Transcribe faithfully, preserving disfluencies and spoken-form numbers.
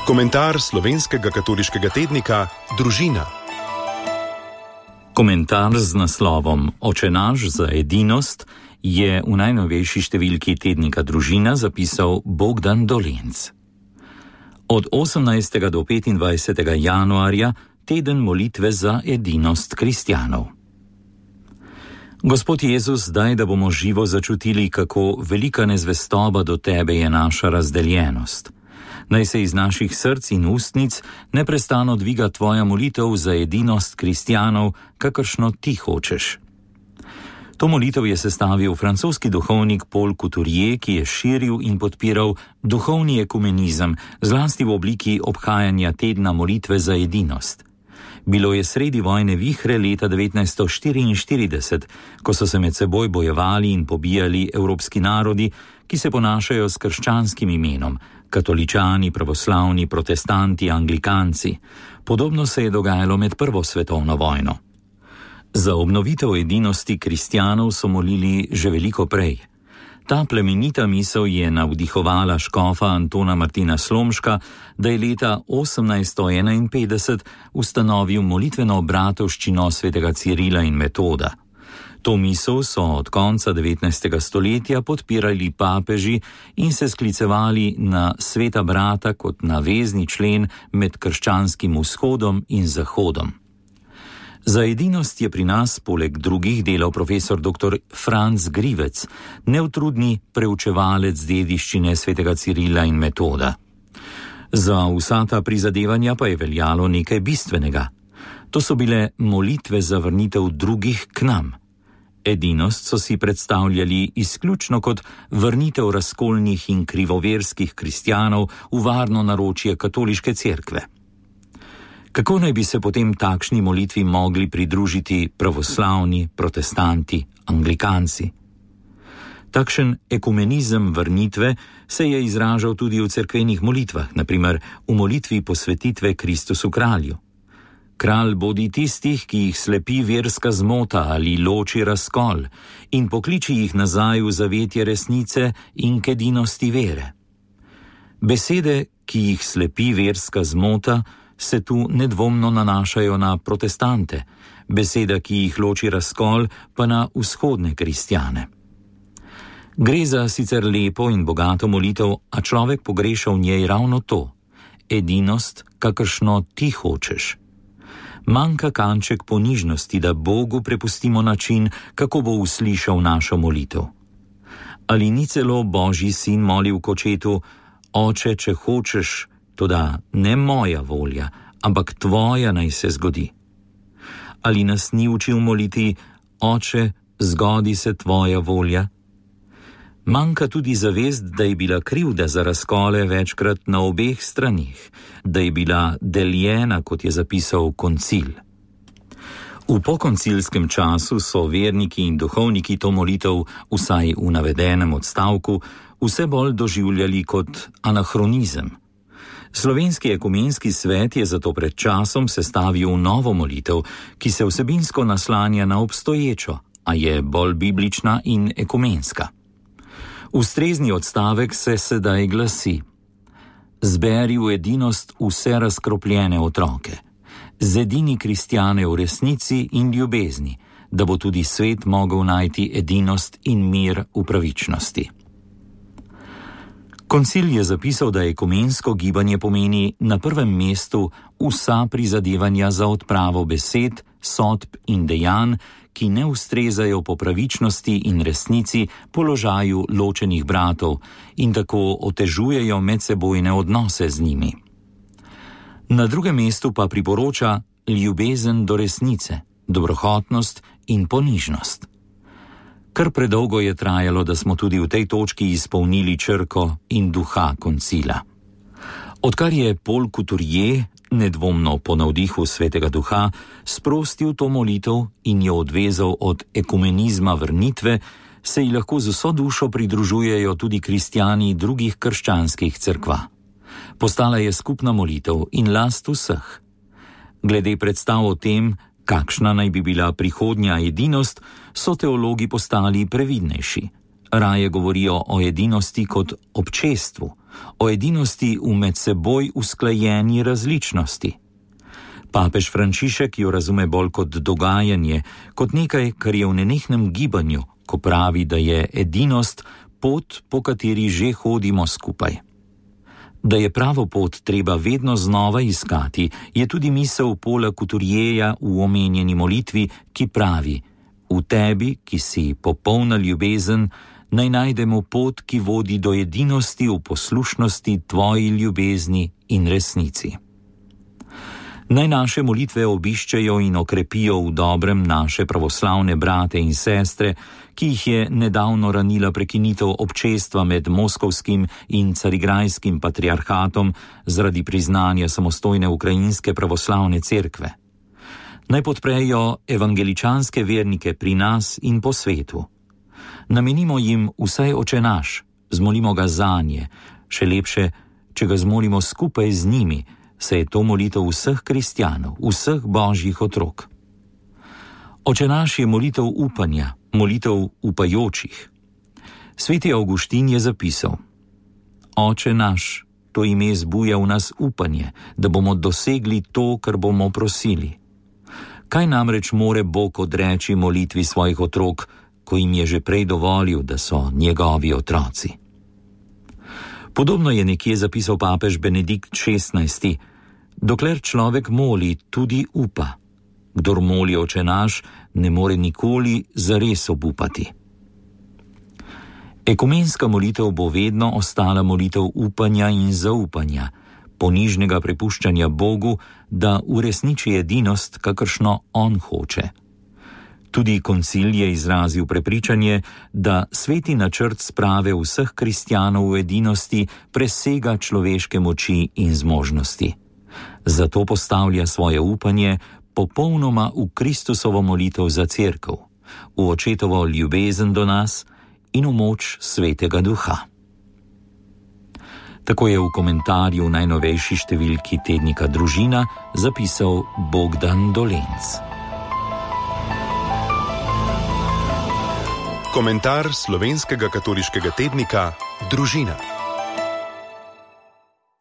Komentar slovenskega katoliškega tednika Družina. Komentar z naslovom Oče naš za edinost je v najnovejši številki tednika Družina zapisal Bogdan Dolenc. Od osemnajstega do petindvajsetega januarja teden molitve za edinost kristjanov. Gospod Jezus, daj, da bomo živo začutili, kako velika nezvestoba do tebe je naša razdeljenost. Naj se iz naših src in ustnic neprestano dviga tvoja molitev za edinost kristjanov, kakršno ti hočeš. To molitev je sestavil francoski duhovnik Paul Couturier, ki je širil in podpiral duhovni ekumenizem, zlasti v obliki obhajanja tedna molitve za edinost. Bilo je sredi vojne vihre leta devetnajststo štiriinštirideset, ko so se med seboj bojevali in pobijali evropski narodi, ki se ponašajo s krščanskim imenom, katoličani, pravoslavni, protestanti, anglikanci. Podobno se je dogajalo med prvo svetovno vojno. Za obnovitev edinosti kristjanov so molili že veliko prej. Ta plemenita misel je navdihovala škofa Antona Martina Slomška, da je leta osemnajststo enainpetdeset ustanovil molitveno bratovščino svetega Cirila in Metoda. To misel so od konca devetnajstega stoletja podpirali papeži in se sklicevali na sveta brata kot na vezni člen med krščanskim vzhodom in zahodom. Za edinost je pri nas poleg drugih delal profesor doktor Franc Grivec, neutrudni preučevalec dediščine svetega Cirila in Metoda. Za vsa ta prizadevanja pa je veljalo nekaj bistvenega. To so bile molitve za vrnitev drugih k nam. Edinost so si predstavljali izključno kot vrnitev razkolnih in krivoverskih kristjanov v varno naročje katoliške cerkve. Kako naj bi se potem takšni molitvi mogli pridružiti pravoslavni, protestanti, anglikanci? Takšen ekumenizem vrnitve se je izražal tudi v cerkvenih molitvah, na primer v molitvi posvetitve Kristusu kralju. Kralj bodi tistih, ki jih slepi verska zmota ali loči razkol, in pokliči jih nazaj v zavetje resnice in k edinosti vere. Besede, ki jih slepi verska zmota, se tu nedvomno nanašajo na protestante, beseda, ki jih loči razkol, pa na vzhodne kristjane. Gre za sicer lepo in bogato molitev, a človek pogreša v njej ravno to, edinost, kakršno ti hočeš. Manjka kanček ponižnosti, da Bogu prepustimo način, kako bo uslišal našo molitev. Ali ni celo Božji sin molil k očetu: Oče, če hočeš, toda ne moja volja, ampak tvoja naj se zgodi? Ali nas ni učil moliti: Oče, zgodi se tvoja volja? Manjka tudi zavest, da je bila krivda za razkole večkrat na obeh stranih, da je bila deljena, kot je zapisal koncil. V pokoncilskem času so verniki in duhovniki to molitev, vsaj v navedenem odstavku, vse bolj doživljali kot anahronizem. Slovenski ekumenski svet je zato pred časom sestavil novo molitev, ki se vsebinsko naslanja na obstoječo, a je bolj biblična in ekumenska. Ustrezni odstavek se sedaj glasi: Zberi v edinost vse razkropljene otroke, zedini kristjane v resnici in ljubezni, da bo tudi svet mogel najti edinost in mir v pravičnosti. Koncil je zapisal, da ekumensko gibanje pomeni na prvem mestu vsa prizadevanja za odpravo besed, sodb in dejanj, ki ne ustrezajo po pravičnosti in resnici položaju ločenih bratov in tako otežujejo medsebojne odnose z njimi. Na drugem mestu pa priporoča ljubezen do resnice, dobrohotnost in ponižnost. Kar predolgo je trajalo, da smo tudi v tej točki izpolnili črko in duha koncila. Odkar je Paul Couturier, nedvomno po navdihu svetega duha, sprostil to molitev in jo odvezal od ekumenizma vrnitve, se ji lahko z vso dušo pridružujejo tudi kristjani drugih krščanskih cerkva. Postala je skupna molitev in last vseh. Glede predstav o tem, kakšna naj bi bila prihodnja edinost, so teologi postali previdnejši. Raje govorijo o edinosti kot občestvu, o edinosti v med seboj usklajeni različnosti. Papež Frančišek jo razume bolj kot dogajanje, kot nekaj, kar je v nenehnem gibanju, ko pravi, da je edinost pot, po kateri že hodimo skupaj. Da je pravo pot treba vedno znova iskati, je tudi misel Paula Couturierja v omenjeni molitvi, ki pravi: v tebi, ki si popolna ljubezen, naj najdemo pot, ki vodi do edinosti v poslušnosti tvoji ljubezni in resnici. Naj naše molitve obiščejo in okrepijo v dobrem naše pravoslavne brate in sestre, ki jih je nedavno ranila prekinitev občestva med moskovskim in carigrajskim patriarhatom zaradi priznanja samostojne ukrajinske pravoslavne cerkve. Naj podprejo evangeličanske vernike pri nas in po svetu. Namenimo jim vsaj Oče naš, zmolimo ga zanje, še lepše, če ga zmolimo skupaj z njimi, saj je to molitev vseh kristjanov, vseh božjih otrok. Oče naš je molitev upanja, molitev upajočih. Sveti Avguštin je zapisal: Oče naš, to ime zbuja v nas upanje, da bomo dosegli to, kar bomo prosili. Kaj namreč more Bog odreči molitvi svojih otrok, ko jim je že prej dovolil, da so njegovi otroci? Podobno je nekje zapisal papež Benedikt šestnajsti: dokler človek moli, tudi upa. Kdor moli Oče naš, ne more nikoli zares obupati. Ekumenska molitev bo vedno ostala molitev upanja in zaupanja, ponižnega prepuščanja Bogu, da uresniči edinost, kakršno on hoče. Tudi koncil je izrazil prepričanje, da sveti načrt sprave vseh kristjanov v edinosti presega človeške moči in zmožnosti. Zato postavlja svoje upanje popolnoma v Kristusovo molitev za cerkev, v očetovo ljubezen do nas in v moč Svetega Duha. Tako je v komentarju v najnovejši številki tednika Družina zapisal Bogdan Dolenc. Komentar slovenskega katoliškega tednika Družina.